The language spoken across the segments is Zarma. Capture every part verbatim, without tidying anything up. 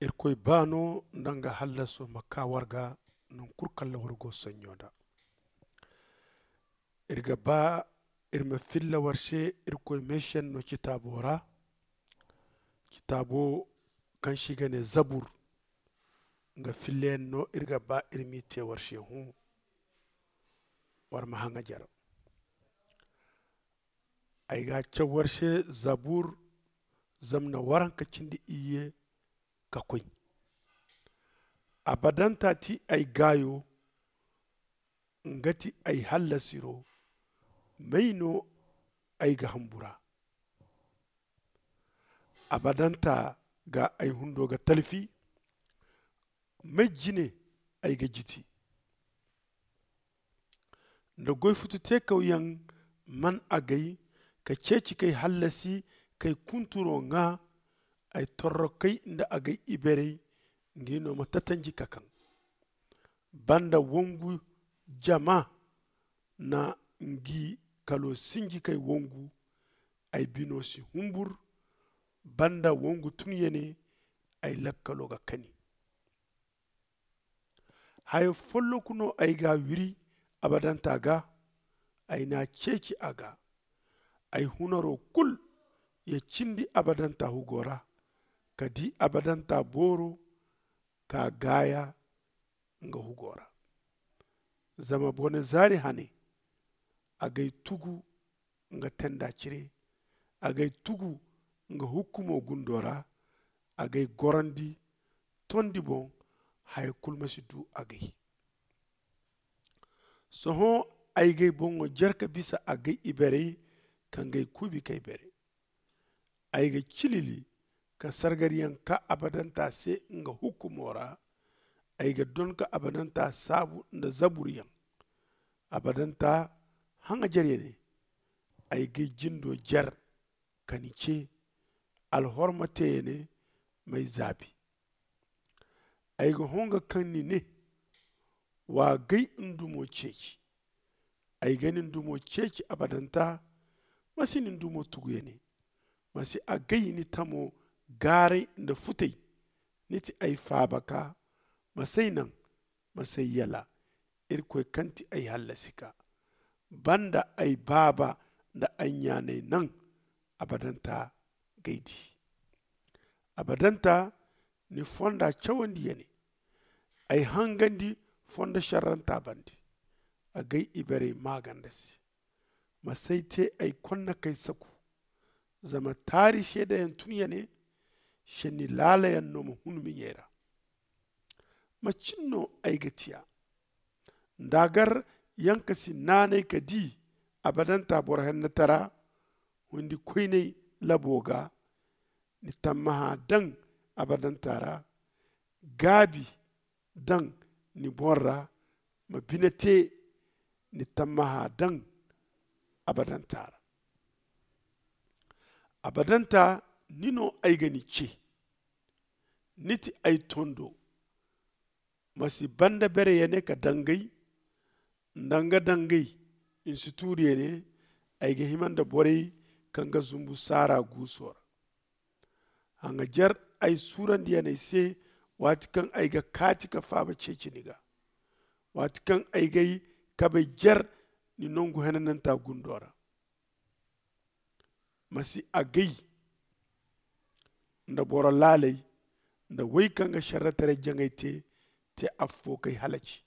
Irkoy baano nda nga hallaso ma kaa war ga, nangu kulu kaŋ ra war go saɲɲo nda. Ir ga ba ir ma filla war se irkoy meesenno citaabo ra. Citaabo kaŋ se i ga ne zabur, nga fillayaŋ no ir ga ba ir m'i te war se hõ. War ma haŋajer. Ay ga a caw war se zabur, zama na waranka cindi iyye ka koy. Abadanta ti ay gaayo, nga ti ay hallasiro. May no ay ga hambura? Abadanta ga ay hundo ga talfi. May jine ay ga jiti? Nda goy futu teekawyaŋ man agay ka ceeci k'ay hallasi, k'ay kunturo ŋaa. Ay torrokey nda agay iberey, ngi no ma tatanji ka kaŋ. Banda wongu jama na ngi kalo sinji k'ay wongu. Ay bino si humbur. Banda wongu tunyane ay lakkalo ga kani. Hayo folloku no ay ga wiri abadanta ga. Ay na ceeci a ga. Ay hunaro kul ya cindi abadanta hugo ra, ka di abadanta booro ka gaaya nga hugo ra. Zama bone zaari hane agay tugu nga tenda cire. Agay tugu nga hukkumo gundo ra. Agay gorandi tondi boŋ. Haya kulu ma si du agay. Sohõ ay g'ay boŋo jer ka bisa agay iberey ka ngey kuubi k'ay bere. Ay ga cilili ka sargariyaŋ ka abadanta se nga hukkumo ra. Ay ga don ka abadanta saabu nda zaburyaŋ. Abadanta haŋajerya ne. Ay g'ay jindo jer ka ni ce. Alhorma teeya ne m'ay zaabi. Ay ga honga kaŋ ni ne, wa gay ndumo ceeci. Ay ga ni ndumo ceeci abadanta. Ma si ni ndumo tugu ya ne. Ma si a gay ni tamo gaaray nda futay. Ni ti ay faabaka. Ma s'ay naŋ, ma s'ay yala. Irkoy kaŋ ti ay hallasika, banda ay baaba nda ay ɲaanay naŋ. Abadanta g'ay di. Abadanta ni fonda cawandi ya ne. Ay hangandi fondo šerranta bande. Agay iberey maaganda se. Ma s'ay te ay konna k'ay saku. Zama taari seedayaŋ tun ya ne. Šenni laalayaŋ no ma hun miɲey ra. Macin no ay ga tiya? Ndaagar yanka si naanay ka di abadanta boro hennetara. Hundi koynay labo ga. Ni tammaha daŋ abadanta ra. Gaabi daŋ ni boŋ ra. Ma bine te ni tammaha daŋ abadanta ra. Abadanta ni no ay ga ni ce. Ni ti ay tondo. Ma si banda bere ya ne ka dangay. Nda nga dangay ni si tuuri ya ne. Ay ga hima nda borey kaŋ ga zumbu saara guuso ra. Haŋajer ay suurandiyaney se waati kaŋ ay ga kaati ka faaba ceeci ni ga. Waati kaŋ ay g'ay kabey jer ni nongu henananta gundo ra. Ma si agay nda boro laaley nda wey kaŋ ga šerretaray jaŋay te te affo k'ay halaci.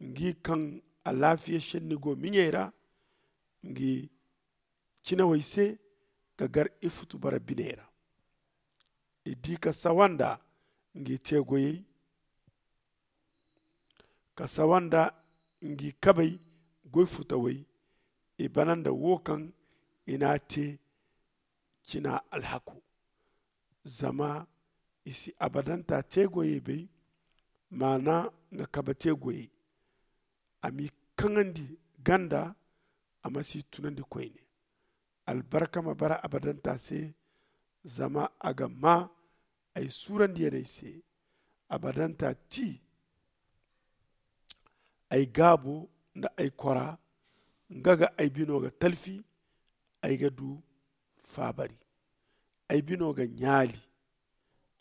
Ngi kaŋ alaafiya šenni go miɲey ra. Ngi cinawey se ga gar ifutu bara biney ra. I di ka sawa nda ngi teegoyey. Ka sawa nda ngi kabey goy futawey. I bana nda wo kaŋ i n'a te cina alhako. Zama i si abadanta teegoyey bay. Maana nga kabe teegoyey. A m'i kaŋandi ganda. A ma si tunandi koyne. Albarka ma bara abadanta se. Zama a ga maa ay suurandiyaney se. Abadanta ti ay gaabo nda ay kora. Nga ga ay bino ga talfi. Ay ga du faabari. Ay bino ga ɲaali.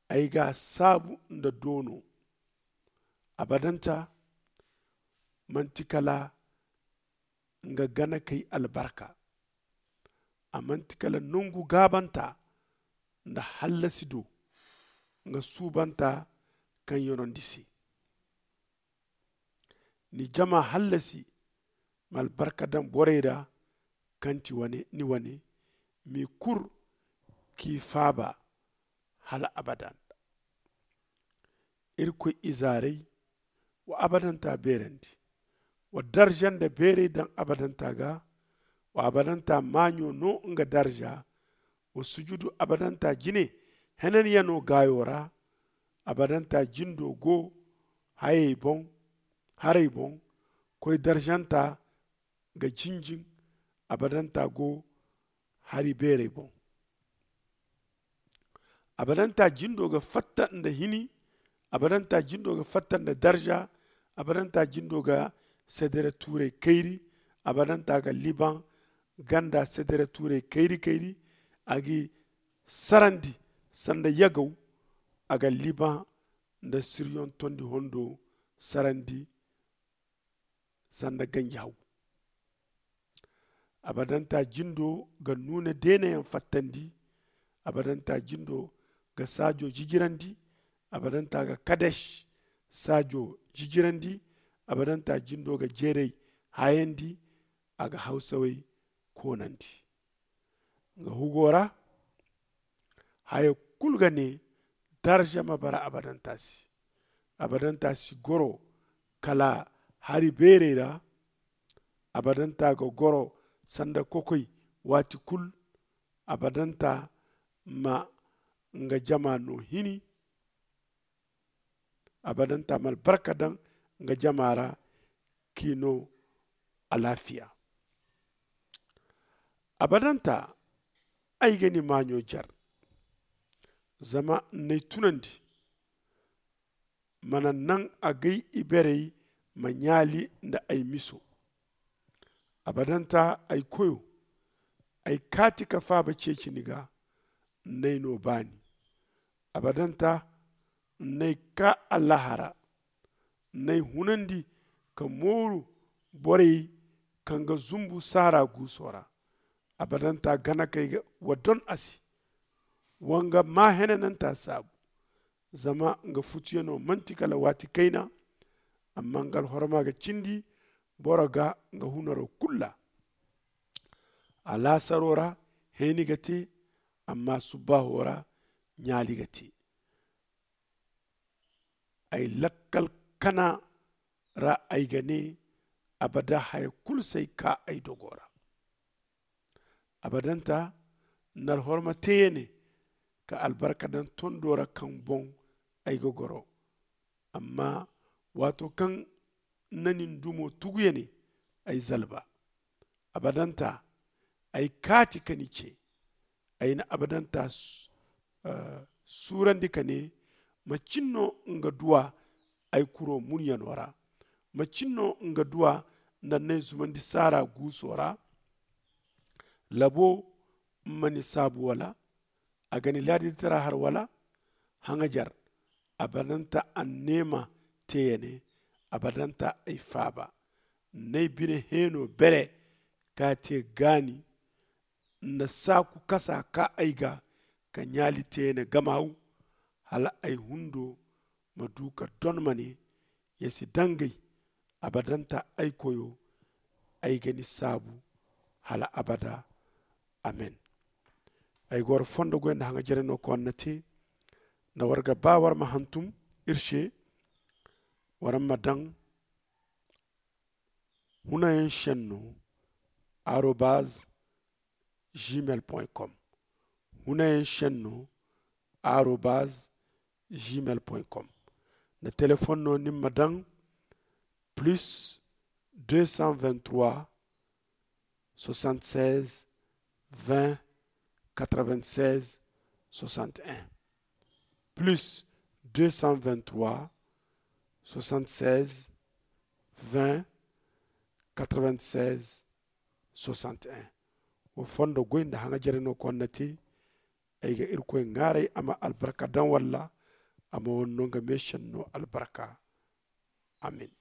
Ay ga a saabu nda doono. Abadanta manti kala nga ganakey albarka. A manti kala nangu gaabanta nda hallasi do nga suubanta kaŋ yanondi se. Ni jama hallasi ma albarka daŋ borey ra kaŋ ti ni wane, m'i kur k'i faaba hala abada. Irkoy izaarey, wa abadanta beerandi. Wa darza nda beeray daŋ abadanta ga. Wa abadanta maaɲo no nga darza. Wa sujudu abadanta jine henanyano gaayo ra. Abadanta jindo go hayey boŋ, haray boŋ. Koy darzanta ga jinjin. Abadanta go hari beeray boŋ. Abadanta jindo ga fatta nda hini. Abadanta jindo ga fatta nda darza. Abadanta jindo ga sedere tuuray kayri. Abadanta ga liban ganda sedere tuuray kayri kayri. A g'i sarandi sanda yagaw. A ga liban nda siriyon tondi hondo sarandi sanda ganji haw. Abadanta jindo ga nuuna deenayaŋ fattandi. Abadanta jindo ga saajo jijirandi. Abadanta ga kadesh saajo jijirandi. Abadanta jindo ga jeeray hayandi. A ga hawsawey koonandi nga hugo ra. Haya kulu ga ne, darza ma bara abadanta se. Abadanta si goro kala hari beerey ra. Abadanta ga goro sanda kokoy waati kulu. Abadanta ma nga jama no hini. Abadanta ma albarka daŋ nga jama ra k'i no alaafiya. Abadanta, ay ga ni maaɲo jar. Zama n'ay tunandi mana naŋ agay iberey ma ɲaali nda ay miso. Abadanta ay koyo, ay kaati ka faaba ceeci ni ga. N'ay no baani. Abadanta n'ay kaa allahara. N'ay hunandi ka mooru borey kaŋ ga zumbu saara guuso ra. Abadanta gana kay wa don a se. Wa nga maa henananta saabu. Zama nga futuyano manti kala waati kayna. Amma nga alhorma ga cindi boro ga nga hunaro kulu ra. Alaasaro ra heeni ga te. Amma subbaaho ra ɲaali ga te. Ay lakkal kana ra ay ga ne. Abada haya kulu si ay kaa ay dogo ra. Abadanta n'alhorma te ya ne ka albarka daŋ tondo ra kaŋ boŋ ay ga goro. Amma waato kaŋ na nin dumo tugu ya ne ay zalba. Abadanta ay kaati ka ni ce. Ay na abadanta suurandi ka ne, macin no nga duwa ay kuro munyano ra? Macin no nga duwa nda n'ay zumandi saara guuso ra? Labo ma ni saabu wala? A ga ni laaditara har wala? Haŋajar. Abadanta anneema te ya ne. Abadanta ay faaba. N'ay bine heeno bere ka te gaani. Nda saaku kasa ka ay ga ka ɲaali te ya ne gamaw. Hala ay hundo ma du ka don ma ne, ya si dangay. Abadanta ay koyo, ay ga ni saabu hala abada. Amen. Ay goro fondo goy nda haŋa jere no ko anna te. Nda war ga ba war ma hantum iri se, war ma daŋ hunayaŋ senno arobaz gmail point com. Hunayaŋ senno arobaz gmail point com. Nda telefon no ni ma daŋ plus deux cent vingt-trois soixante-seize vingt quatre-vingt-seize soixante et un. Plus deux cent vingt-trois soixante-seize vingt quatre-vingt-seize soixante et un. Wo fondo goy nda haŋa jere no ko anna te. Ay ga irkoy ŋaaray a ma albarka daŋ walla A ma wane no nga meesenno albarka. Amin.